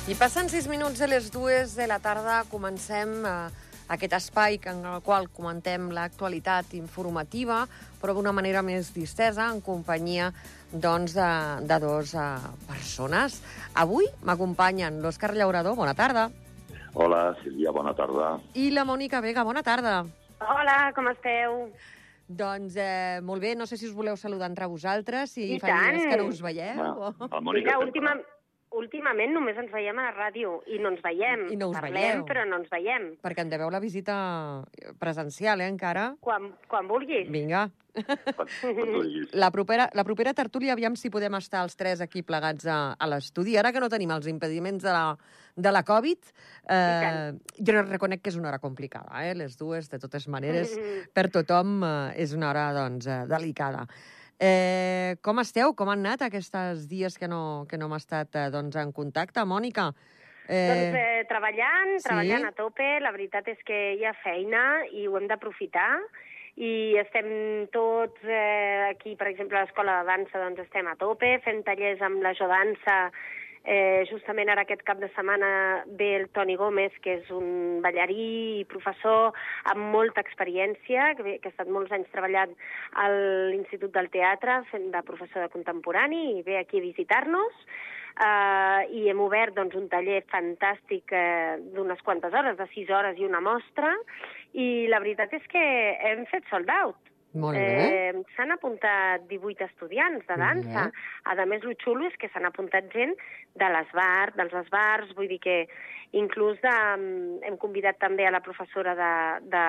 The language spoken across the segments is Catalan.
I passant 6 minuts de les 2 de la tarda comencem aquest espai en el qual comentem l'actualitat informativa, però d'una manera més distesa, en companyia doncs, de dos persones. Avui m'acompanyen l'Òscar Llaurador, bona tarda. Hola, Sílvia, bona tarda. I la Mònica Vega, bona tarda. Hola, com esteu? Doncs molt bé, no sé si us voleu saludar entre vosaltres, si I fa dies tant. que no us veieu. La Mònica Mira, últimament només ens veiem a la ràdio i no ens veiem. I no us Parlem, veieu. però no ens veiem. Perquè en deveu la visita presencial, encara. Quan vulguis. Vinga. La propera tertúlia, aviam si podem estar els tres aquí plegats a l'estudi. Ara que no tenim els impediments de la Covid, jo reconec que és una hora complicada, les dues, de totes maneres, per tothom és una hora doncs, delicada. Com esteu? Com han anat aquests dies que no hem estat doncs, en contacte, Mònica? Treballant a tope. La veritat és que hi ha feina i ho hem d'aprofitar. I estem tots aquí, per exemple, a l'Escola de Dansa, doncs estem a tope, fem tallers amb la Jodansa. Justament ara aquest cap de setmana ve el Toni Gómez, que és un ballarí i professor amb molta experiència, que ha estat molts anys treballant a l'Institut del Teatre, fent de professor de contemporani, i ve aquí a visitar-nos. I hem obert doncs, un taller fantàstic d'unes quantes hores, de 6 hores i una mostra, i la veritat és que hem fet sold out. Molt bé. S'han apuntat 18 estudiants de dansa. A més, el xulo és que s'han apuntat gent dels bars, vull dir que inclús hem convidat també a la professora de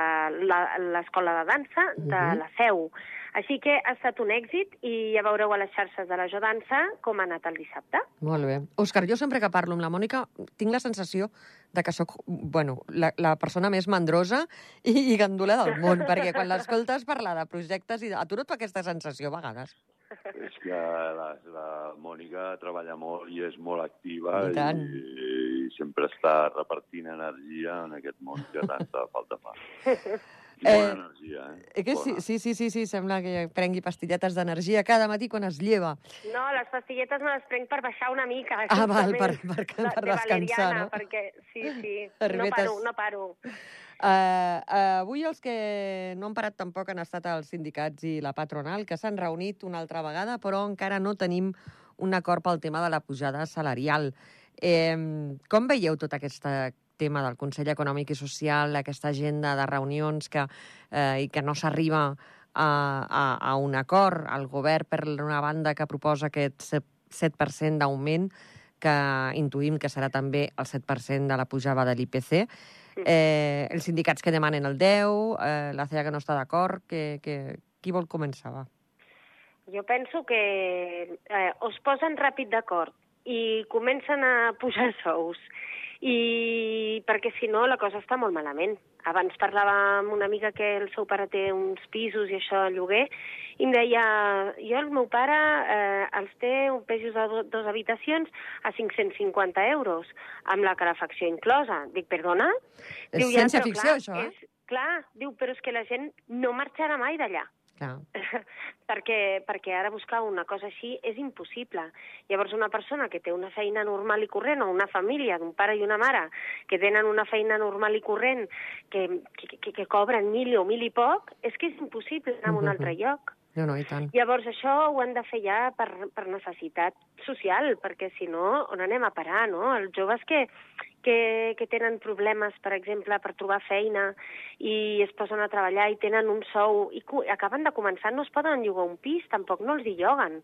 l'Escola de Dansa de la Seu. Així que ha estat un èxit i ja veureu a les xarxes de la Jodansa com ha anat el dissabte. Molt bé. Òscar, jo sempre que parlo amb la Mònica tinc la sensació de que sóc la persona més mandrosa i gandula del món, perquè quan l'escoltes parlar de projectes, a tu no et fa aquesta sensació a vegades? És que la Mònica treballa molt i és molt activa i sempre està repartint energia en aquest món que tanta falta fa. Bona energia, Que sí, sembla que prengui pastilletes d'energia cada matí quan es lleva. No, les pastilletes me les prenc per baixar una mica. Val, per descansar, no? Perquè sí, Herbetes. no paro. Avui els que no han parat tampoc han estat els sindicats i la patronal, que s'han reunit una altra vegada, però encara no tenim un acord pel tema de la pujada salarial. Com veieu tot aquest tema del Consell Econòmic i Social, aquesta agenda de reunions i que no s'arriba a un acord? El govern, per una banda, que proposa aquest 7% d'augment, que intuïm que serà també el 7% de la pujada de l'IPC. Els sindicats que demanen el 10%, la CEA que no està d'acord. Qui vol començar, va? Jo penso que es posen ràpid d'acord i comencen a pujar sous, i perquè si no la cosa està molt malament. Abans parlava amb una amiga que el seu pare té uns pisos i això a lloguer, i em deia, el meu pare els té un pisos de 2 habitacions a 550 euros, amb la calefacció inclosa. Dic, perdona? És ciència-ficció, això, Clar, diu, però és que la gent no marxarà mai d'allà. perquè ara buscar una cosa així és impossible. Llavors una persona que té una feina normal i corrent, o una família d'un pare i una mare que tenen una feina normal i corrent, que cobren 1.000 o 1.000 i poc, és que és impossible anar a un altre lloc. No, i tant. Llavors això ho han de fer ja per necessitat social, perquè si no, on anem a parar, no? Els joves que tenen problemes, per exemple, per trobar feina i es posen a treballar i tenen un sou i acaben de començar, no es poden llogar un pis, tampoc no els hi lloguen.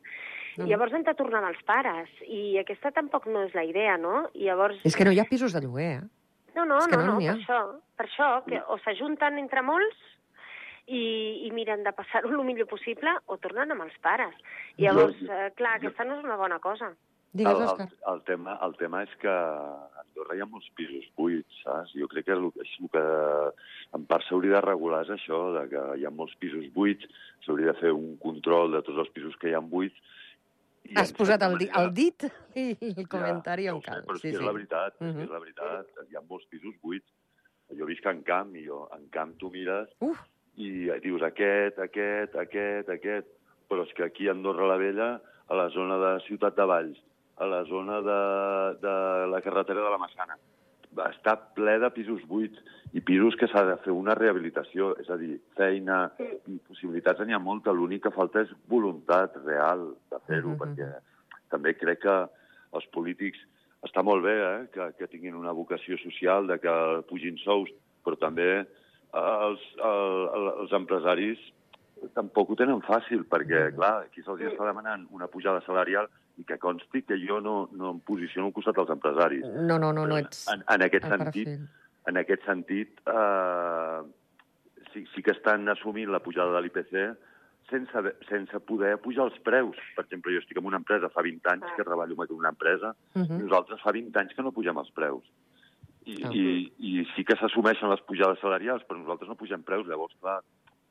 Llavors han de tornar als pares i aquesta tampoc no és la idea, no? És que no hi ha pisos de lloguer, No, per això, que o s'ajunten entre molts i miren de passar-ho el millor possible o tornen amb els pares. Llavors, clar, aquesta no és una bona cosa. Digues, Òscar. El tema és que a Andorra hi ha molts pisos buits, saps? Jo crec que el que en part s'hauria de regular és això, de que hi ha molts pisos buits, s'hauria de fer un control de tots els pisos que hi ha buits. Has posat el dit i el comentari en cal. Però és que és la veritat, hi ha molts pisos buits. Jo visc en Camp, i en Camp tu mires i dius aquest, però és que aquí a Andorra la Vella, a la zona de Ciutat de Valls, a la zona de la carretera de la Massana. Està ple de pisos buits i pisos que s'ha de fer una rehabilitació, és a dir, feina i possibilitats n'hi ha molta, l'únic que falta és voluntat real de fer-ho, perquè també crec que els polítics està molt bé que tinguin una vocació social, de que pugin sous, però també els empresaris tampoc ho tenen fàcil, perquè, clar, aquí se'ls està demanant una pujada salarial i que consti que jo no em posiciono al costat dels empresaris. No ets en aquest sentit, sí que estan assumint la pujada de l'IPC sense poder pujar els preus. Per exemple, jo estic en una empresa, fa 20 anys que treballo en una empresa, i nosaltres fa 20 anys que no pugem els preus. I sí que s'assumeixen les pujades salarials, però nosaltres no pugem preus. Llavors, clar,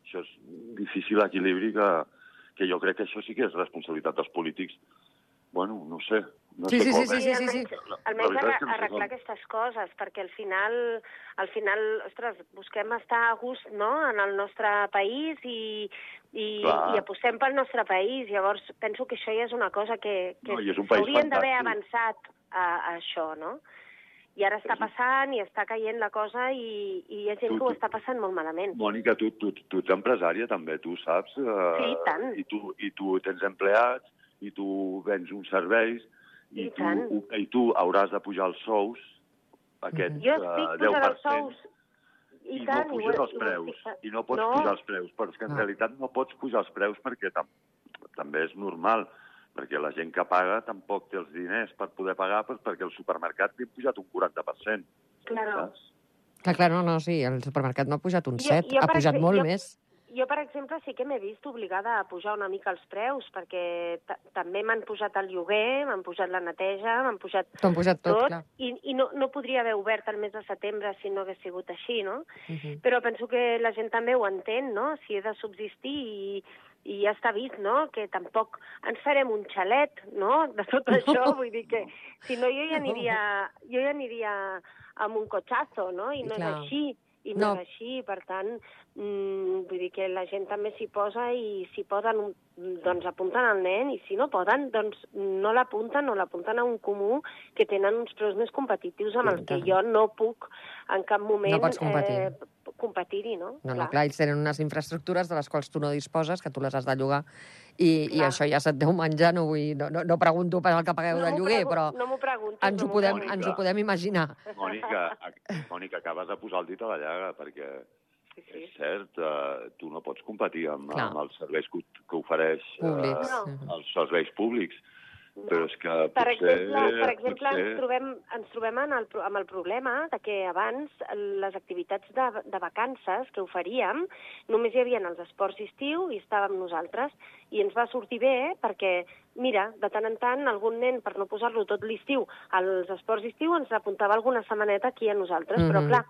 això és un difícil equilibri que jo crec que això sí que és responsabilitat dels polítics. Bueno, no sé. Sí. Almenys arreglar aquestes coses, perquè al final, ostres, busquem estar a gust, no?, en el nostre país i apostem pel nostre país. Llavors, penso que això ja és una cosa que s'haurien d'haver avançat a això, no? I ara està passant i està caient la cosa i hi ha gent que ho està passant molt malament. Mònica, tu ets empresària també, tu saps? Sí, tant. I tu tens empleats, i tu vens uns serveis, i tu hauràs de pujar els sous, aquests 10%. Jo estic pujant els sous. I no puges els preus. I no pots pujar els preus. Però és que en realitat no pots pujar els preus perquè també és normal, perquè la gent que paga tampoc té els diners per poder pagar, perquè el supermercat li ha pujat un 40%. Claro. Clar, sí, el supermercat no ha pujat un 7, ha pujat molt més. Jo, per exemple, sí que m'he vist obligada a pujar una mica els preus, perquè també m'han pujat el lloguer, m'han pujat la neteja, m'han pujat T'han pujat tot, clar. I no podria haver obert el mes de setembre si no hagués sigut així, no? Però penso que la gent també ho entén, no? Si he de subsistir i ja està vist, no?, que tampoc ens farem un xalet, no?, de tot això. Vull dir que, si no, jo ja aniria amb un cotxazo, no?, i no és així. I no és així, per tant, vull dir que la gent també s'hi posa i si poden, doncs apunten al nen, i si no poden, doncs no l'apunten o l'apunten a un comú que tenen uns preus més competitius amb els que jo no puc en cap moment competir-hi, no? No, clar, ells tenen unes infraestructures de les quals tu no disposes, que tu les has de llogar, i això ja se't deu menjar, no pregunto per el que pagueu de lloguer, però ens ho podem imaginar. Mònica, acabes de posar el dit a la llaga, perquè és cert, tu no pots competir amb els serveis que ofereix els serveis públics. Però és que per exemple, ens trobem amb el problema de que abans les activitats de vacances que oferíem només hi havia els esports d'estiu i estàvem nosaltres, i ens va sortir bé perquè, mira, de tant en tant algun nen, per no posar-lo tot l'estiu als esports d'estiu, ens apuntava alguna setmaneta aquí a nosaltres, però clar,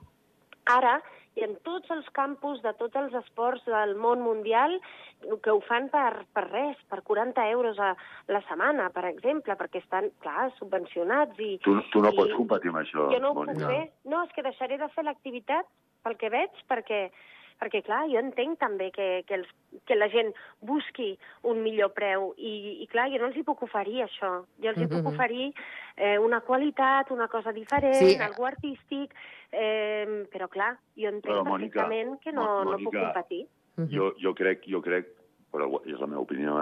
ara i en tots els campus de tots els esports del món mundial que ho fan per res, per 40 euros a la setmana, per exemple, perquè estan, clar, subvencionats. Tu no pots competir amb això, jo no ho puc fer. No, és que deixaré de fer l'activitat, pel que veig, perquè, clar, jo entenc també que la gent busqui un millor preu i clar, jo no els hi puc oferir això. Jo els hi puc oferir una qualitat, una cosa diferent, algú artístic, però clar, jo entenc perfectament que no puc competir. Jo crec, però és la meva opinió,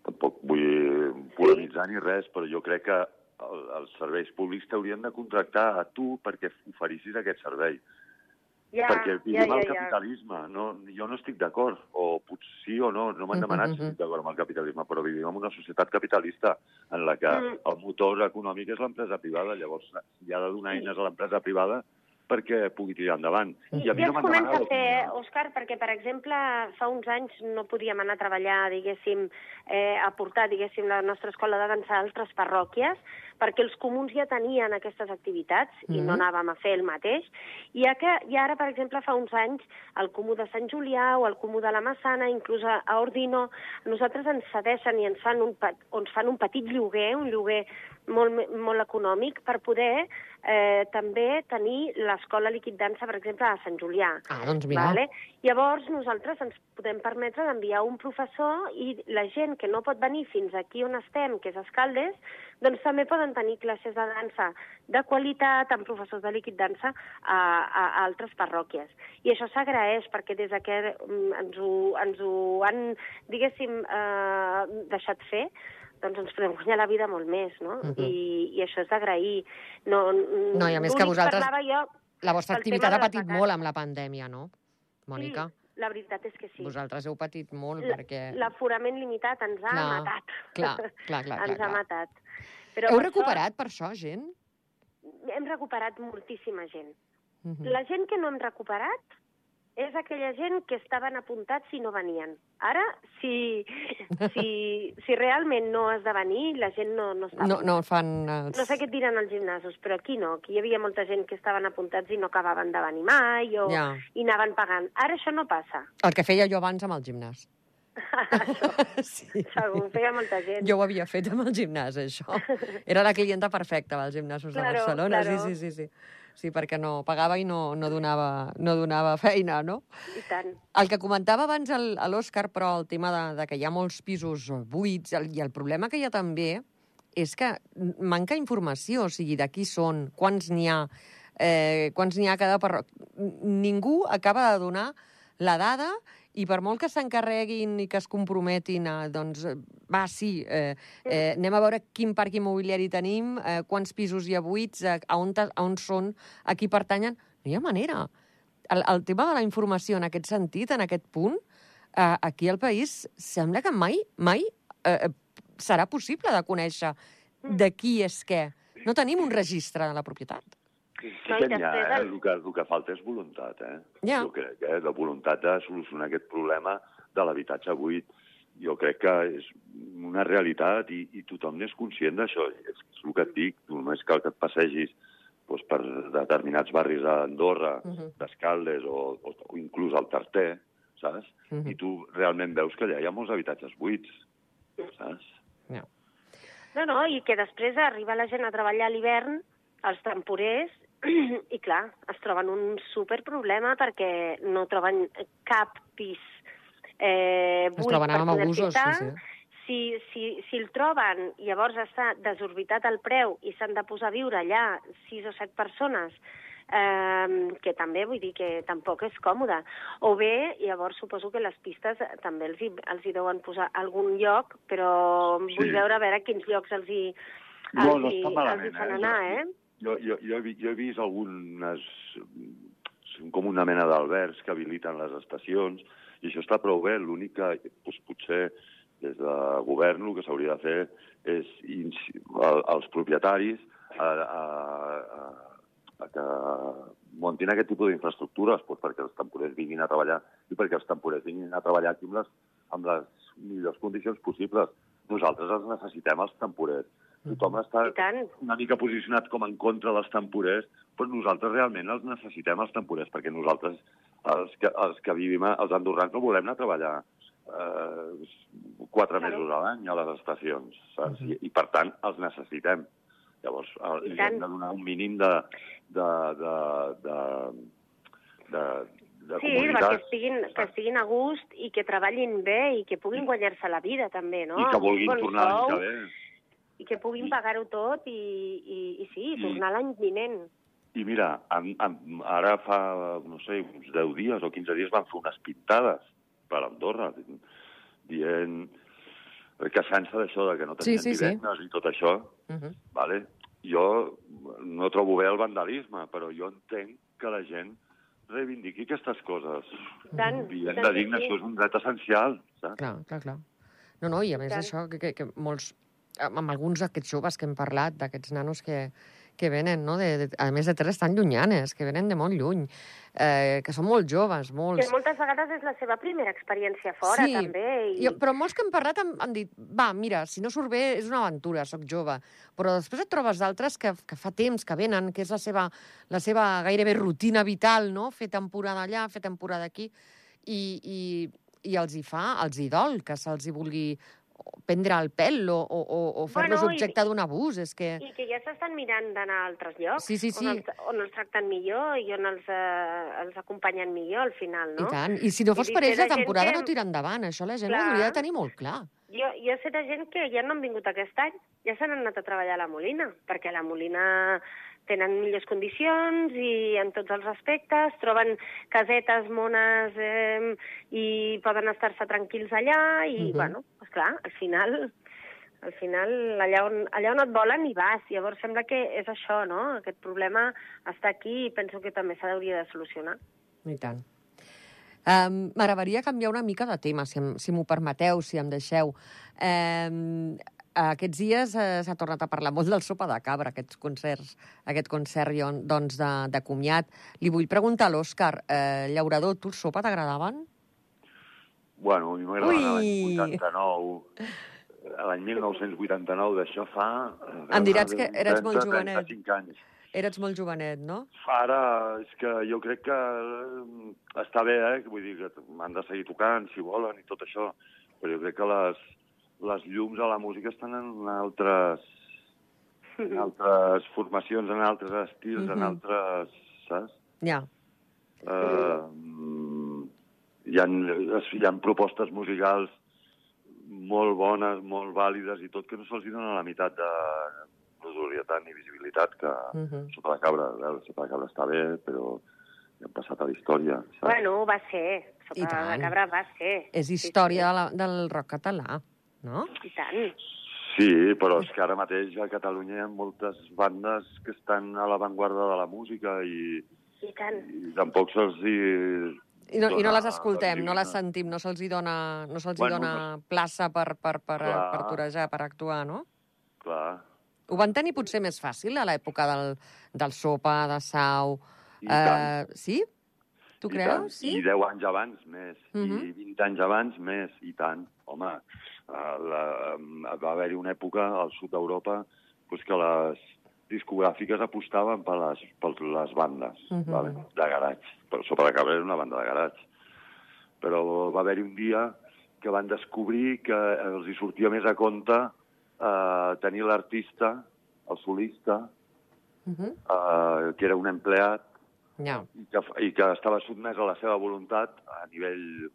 tampoc vull polemitzar ni res, però jo crec que els serveis públics t'haurien de contractar a tu perquè oferissis aquest servei. Perquè vivim el capitalisme. Jo no estic d'acord, o potser sí o no m'han demanat si estic d'acord amb el capitalisme, però vivim en una societat capitalista en la que el motor econòmic és l'empresa privada, llavors hi ha de donar eines a l'empresa privada perquè pugui tirar endavant. I a mi no es comença a fer, Òscar, perquè, per exemple, fa uns anys no podíem anar a treballar, diguéssim, a portar, diguéssim, la nostra escola de dansa a altres parròquies, perquè els comuns ja tenien aquestes activitats i no anàvem a fer el mateix. I ara, per exemple, fa uns anys, el comú de Sant Julià o el comú de la Massana, inclús a Ordino, nosaltres ens cedeixen i ens fan un petit lloguer, un lloguer molt econòmic per poder també tenir l'escola Liquid Dansa, per exemple, a Sant Julià. Doncs mira. Vale? Llavors, nosaltres ens podem permetre d'enviar un professor i la gent que no pot venir fins aquí on estem, que és Escaldes, doncs també poden tenir classes de dansa de qualitat amb professors de Liquid Dansa a altres parròquies. I això s'agraeix perquè des que ens ho han, diguéssim, deixat fer, doncs ens podem guanyar la vida molt més, no? I això és d'agrair. No, i a més que vosaltres... Jo, la vostra activitat ha patit molt amb la pandèmia, no, Mònica? Sí, la veritat és que sí. Vosaltres heu patit molt perquè... L'aforament limitat ens ha matat. Clar. Ens ha matat. Però heu recuperat per això gent? Hem recuperat moltíssima gent. La gent que no hem recuperat és aquella gent que estaven apuntats i no venien. Ara, si realment no has de venir, la gent no està... No fan... No sé què et diran als gimnasos, però aquí no. Aquí hi havia molta gent que estaven apuntats i no acabaven de venir mai i anaven pagant. Ara això no passa. El que feia jo abans amb el gimnàs. Sí. Segur, feia molta gent. Jo ho havia fet amb el gimnàs, això. Era la clienta perfecta dels gimnasos de Barcelona. Sí. Sí, perquè no pagava i no donava feina, no? I tant. El que comentava abans l'Òscar, però el tema de que hi ha molts pisos buits, i el problema que hi ha també és que manca informació, o sigui, de qui són, quants n'hi ha a cada parròquia. Ningú acaba de donar la dada i per molt que s'encarreguin i que es comprometin a, doncs, anem a veure quin parc immobiliari tenim, quants pisos hi ha buits, a on són, a qui pertanyen, no hi ha manera. El tema de la informació en aquest sentit, en aquest punt, aquí al país sembla que mai serà possible de conèixer de qui és què. No tenim un registre de la propietat. Sí que n'hi ha, el que falta és voluntat, Ja. Jo crec, la voluntat de solucionar aquest problema de l'habitatge buit. Jo crec que és una realitat i tothom n'és conscient d'això. És el que et dic, només cal que et passegis per determinats barris d'Andorra, d'Escaldes o inclús al Tarter, saps? I tu realment veus que allà hi ha molts habitatges buits, saps? No, i que després arriba la gent a treballar a l'hivern, els temporers, i clar, es troben un superproblema perquè no troben cap pis buit per poder ficar. Si el troben, llavors està desorbitat el preu i s'han de posar a viure allà 6 o 7 persones, que també vull dir que tampoc és còmode. O bé, llavors suposo que les pistes també els hi deuen posar a algun lloc, però vull veure a veure quins llocs els hi fan anar, Jo he vist algunes, com una mena d'albergs que habiliten les estacions, i això està prou bé. L'únic que potser des de govern el que s'hauria de fer és als propietaris que muntin aquest tipus d'infraestructures perquè els temporers vinguin a treballar i perquè els temporers vinguin a treballar aquí amb les millors condicions possibles. Nosaltres els necessitem, els temporers. Tothom està una mica posicionat com en contra dels temporers, però nosaltres realment els necessitem, els temporers, perquè nosaltres, els que vivim, els andorrans, no volem anar a treballar 4 mesos a l'any a les estacions, saps? I per tant, els necessitem. Llavors, li hem de donar un mínim de comoditats. Sí, que estiguin a gust i que treballin bé i que puguin guanyar-se la vida, també, no? I que vulguin tornar l'any que ve. I que puguin pagar-ho tot i tornar l'any vinent. I mira, ara fa, no sé, uns 10 dies o 15 dies van fer unes pintades per Andorra, queixant-se d'això, que no tenien divendres i tot això. Vale? Jo no trobo bé el vandalisme, però jo entenc que la gent reivindiqui aquestes coses. Vivent de digne, això és un dret essencial, saps? Clar. No, i a més això, que molts... amb alguns d'aquests joves que hem parlat, d'aquests nanos que venen, no? A més de terres tan llunyanes, que venen de molt lluny, que són molt joves, molts... Que moltes vegades és la seva primera experiència fora, també. Però molts que hem parlat han dit, mira, si no surt bé és una aventura, soc jove. Però després et trobes d'altres que fa temps que venen, que és la seva gairebé rutina vital, no? Fer temporada allà, fer temporada aquí, i els hi dol que se'ls hi vulgui prendre el pèl o fer-los objecte d'un abús. És que... I que ja s'estan mirant d'anar a altres llocs, Sí. on els tracten millor i on els acompanyen millor al final, no? I tant. I si no fos per ells, la temporada no tira endavant. Això la gent ho hauria de tenir molt clar. Jo sé de gent que ja no han vingut aquest any, ja s'han anat a treballar a la Molina, perquè a la Molina tenen millors condicions i en tots els aspectes, troben casetes mones i poden estar-se tranquils allà i, bueno, esclar, al final allà on et volen hi vas. Llavors sembla que és això, no? Aquest problema està aquí i penso que també s'hauria de solucionar. I tant. M'agradaria canviar una mica de tema, si m'ho permeteu, si em deixeu. Aquests dies s'ha tornat a parlar molt del Sopa de Cabra, aquest concert doncs, de comiat. Li vull preguntar a l'Òscar, llaurador, tu el sopa t'agradaven? Bueno, a mi m'agradava l'any 89. L'any 1989, d'això fa... Em diràs que eres molt jovenet. 35 anys. Eres molt jovenet, no? Ara, és que jo crec que està bé, vull dir que m'han de seguir tocant, si volen, i tot això, però jo crec que les llums a la música estan en altres formacions, en altres estils, en altres... Saps? Ja. Hi ha propostes musicals molt bones, molt vàlides i tot, que no se'ls dona la meitat de notorietat ni visibilitat que Sopa de Cabra. El Sopa de Cabra està bé, però ja hem passat a la història. Saps? Bueno, va ser. Sopa de Cabra va ser. És història del rock català, no? I tant. Sí, però és que ara mateix a Catalunya hi ha moltes bandes que estan a l'avantguarda de la música i tampoc se'ls I no les escoltem, no les sentim, no se'ls dona plaça per torejar, per actuar, no? Clar. Ho van tenir potser més fàcil a l'època del Sopa, de Sau. Sí? Tu creus? Sí? I 10 anys abans més, i 20 anys abans més, i tant. Home, va haver-hi una època al sud d'Europa que les discogràfiques apostaven per les bandes de garatge. Però Sopa de Cabra era una banda de garatge. Però va haver-hi un dia que van descobrir que els hi sortia més a compte tenir l'artista, el solista, que era un empleat, i que estava sotmès a la seva voluntat a nivell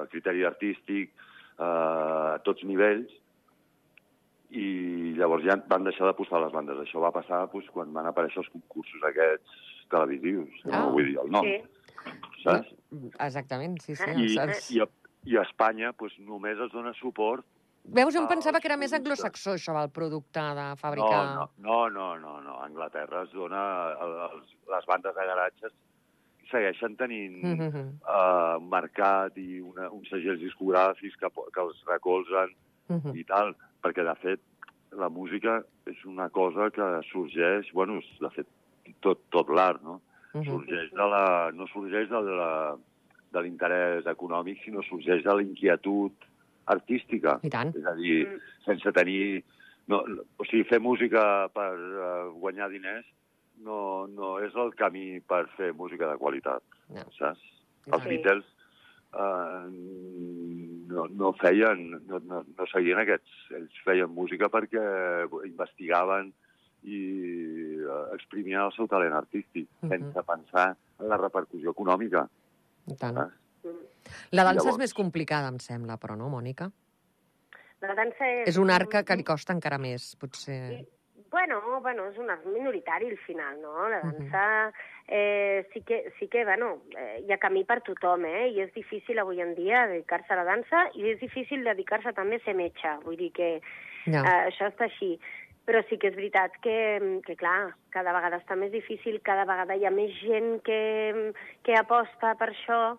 criteri artístic, a tots nivells, i llavors ja van deixar d'apostar les bandes. Això va passar quan van aparèixer els concursos aquests televisius, no vull dir el nom. Saps? Exactament, sí. I a Espanya només es dona suport. Veus, em pensava que era més anglosaxó, això, el producte de fabricar... No. A Anglaterra es dona... Les bandes de garatges segueixen tenint un mercat i uns segells discogràfics que els recolzen i tal, perquè, de fet, la música és una cosa que sorgeix... Bueno, de fet, tot l'art, no? No sorgeix de l'interès econòmic, sinó sorgeix de la inquietud artística. I tant. És a dir, sense tenir... O sigui, fer música per guanyar diners no és el camí per fer música de qualitat, saps? Els Beatles no seguien aquests... Ells feien música perquè investigaven i exprimien el seu talent artístic, sense pensar en la repercussió econòmica. I tant. La dansa és més complicada, em sembla, però no, Mònica? La dansa és un art que li costa encara més, potser. Bueno, és un art minoritari al final, no? La dansa sí que, hi ha camí per tothom, i és difícil avui en dia dedicar-se a la dansa i és difícil dedicar-se també a ser metge, vull dir que això està així. Però sí que és veritat que, clar, cada vegada està més difícil, cada vegada hi ha més gent que aposta per això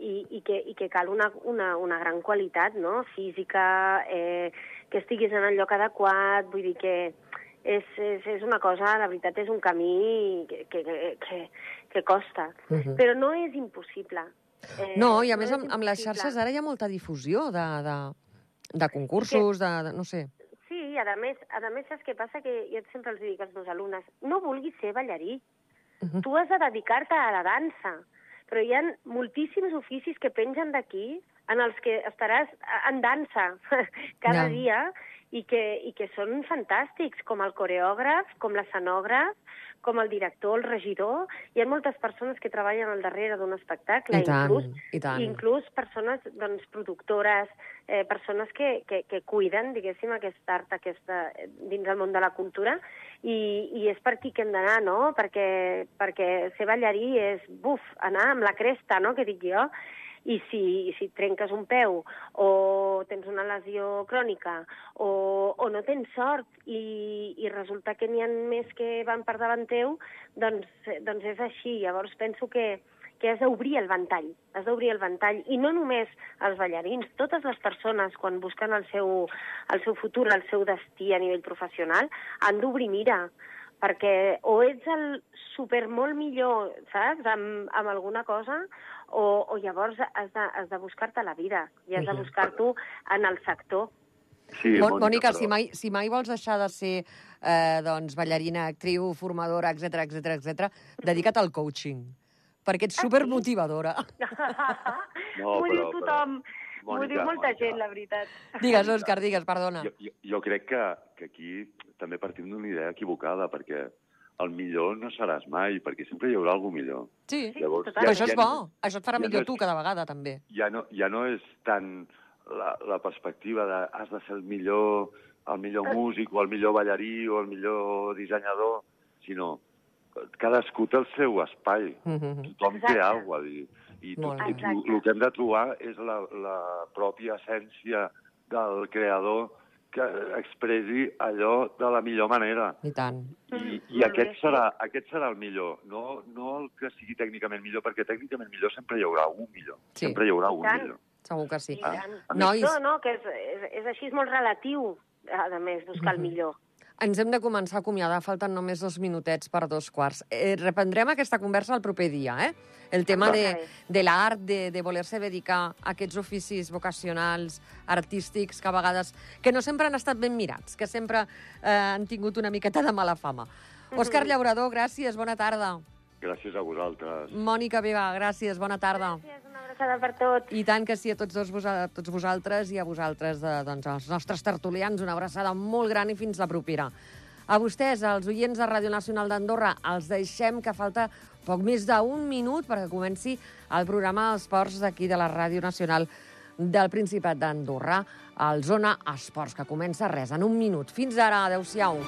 i que cal una gran qualitat, no?, física, que estiguis en el lloc adequat, vull dir que és una cosa, la veritat és un camí que costa, però no és impossible. No, i a més amb les xarxes ara hi ha molta difusió de concursos, no sé... Sí, a més, saps què passa? Que jo sempre els dic als meus alumnes, no vulguis ser ballarí. Tu has de dedicar-te a la dansa. Però hi ha moltíssims oficis que pengen d'aquí en els que estaràs en dansa cada dia i que són fantàstics, com el coreògraf, com l'escenògraf, com el director, el regidor. Hi ha moltes persones que treballen al darrere d'un espectacle, inclús persones productores, persones que cuiden, diguéssim, aquest art dins el món de la cultura, i és per aquí que hem d'anar, no? Perquè ser ballarí és, anar amb la cresta, no?, que dic jo. I si trenques un peu o tens una lesió crònica o no tens sort i resulta que n'hi ha més que van per davant teu, doncs és així. Llavors penso que has d'obrir el ventall, i no només els ballarins, totes les persones, quan busquen el seu futur, el seu destí a nivell professional, han d'obrir mira, perquè o ets el super molt millor, saps?, amb alguna cosa, o llavors has de buscar-te la vida i has de buscar-t'ho en el sector. Sí, Mònica, si mai vols deixar de ser ballarina, actriu, formadora, etc, dedica't al coaching, perquè ets supermotivadora. M'ho diu tothom. M'ho diu molta gent, la veritat. Digues, Òscar, perdona. Jo crec que aquí també partim d'una idea equivocada, perquè el millor no seràs mai, perquè sempre hi haurà algú millor. Sí, però això és bo. Això et farà millor tu cada vegada, també. Ja no és tant la perspectiva de has de ser el millor músic, o el millor ballarí, o el millor dissenyador, sinó cadascú té el seu espai. Tothom té alguna cosa a dir. I el que hem de trobar és la pròpia essència del creador que expressi allò de la millor manera. I tant. I aquest serà el millor, no el que sigui tècnicament millor, perquè tècnicament millor sempre hi haurà un millor. Sí. Sempre hi haurà un millor. Segur que sí. No, que és així, és molt relatiu, a més, buscar el millor. Ens hem de començar a acomiadar, falten només 2 minutets per 2:15. Reprendrem aquesta conversa el proper dia, El tema de l'art, de voler-se dedicar a aquests oficis vocacionals, artístics, que a vegades que no sempre han estat ben mirats, que sempre han tingut una miqueta de mala fama. Òscar Llaurador, gràcies, bona tarda. Gràcies a vosaltres. Mònica Vega, gràcies, bona tarda. Gràcies, una abraçada per tots. I tant que sí, a tots vosaltres i a vosaltres, als nostres tertulians, una abraçada molt gran i fins la propera. A vostès, als oients de Ràdio Nacional d'Andorra, els deixem que falta poc més d'un minut perquè comenci el programa d'esports d'aquí de la Ràdio Nacional del Principat d'Andorra, el Zona Esports, que comença res, en un minut. Fins ara, adeu-siau.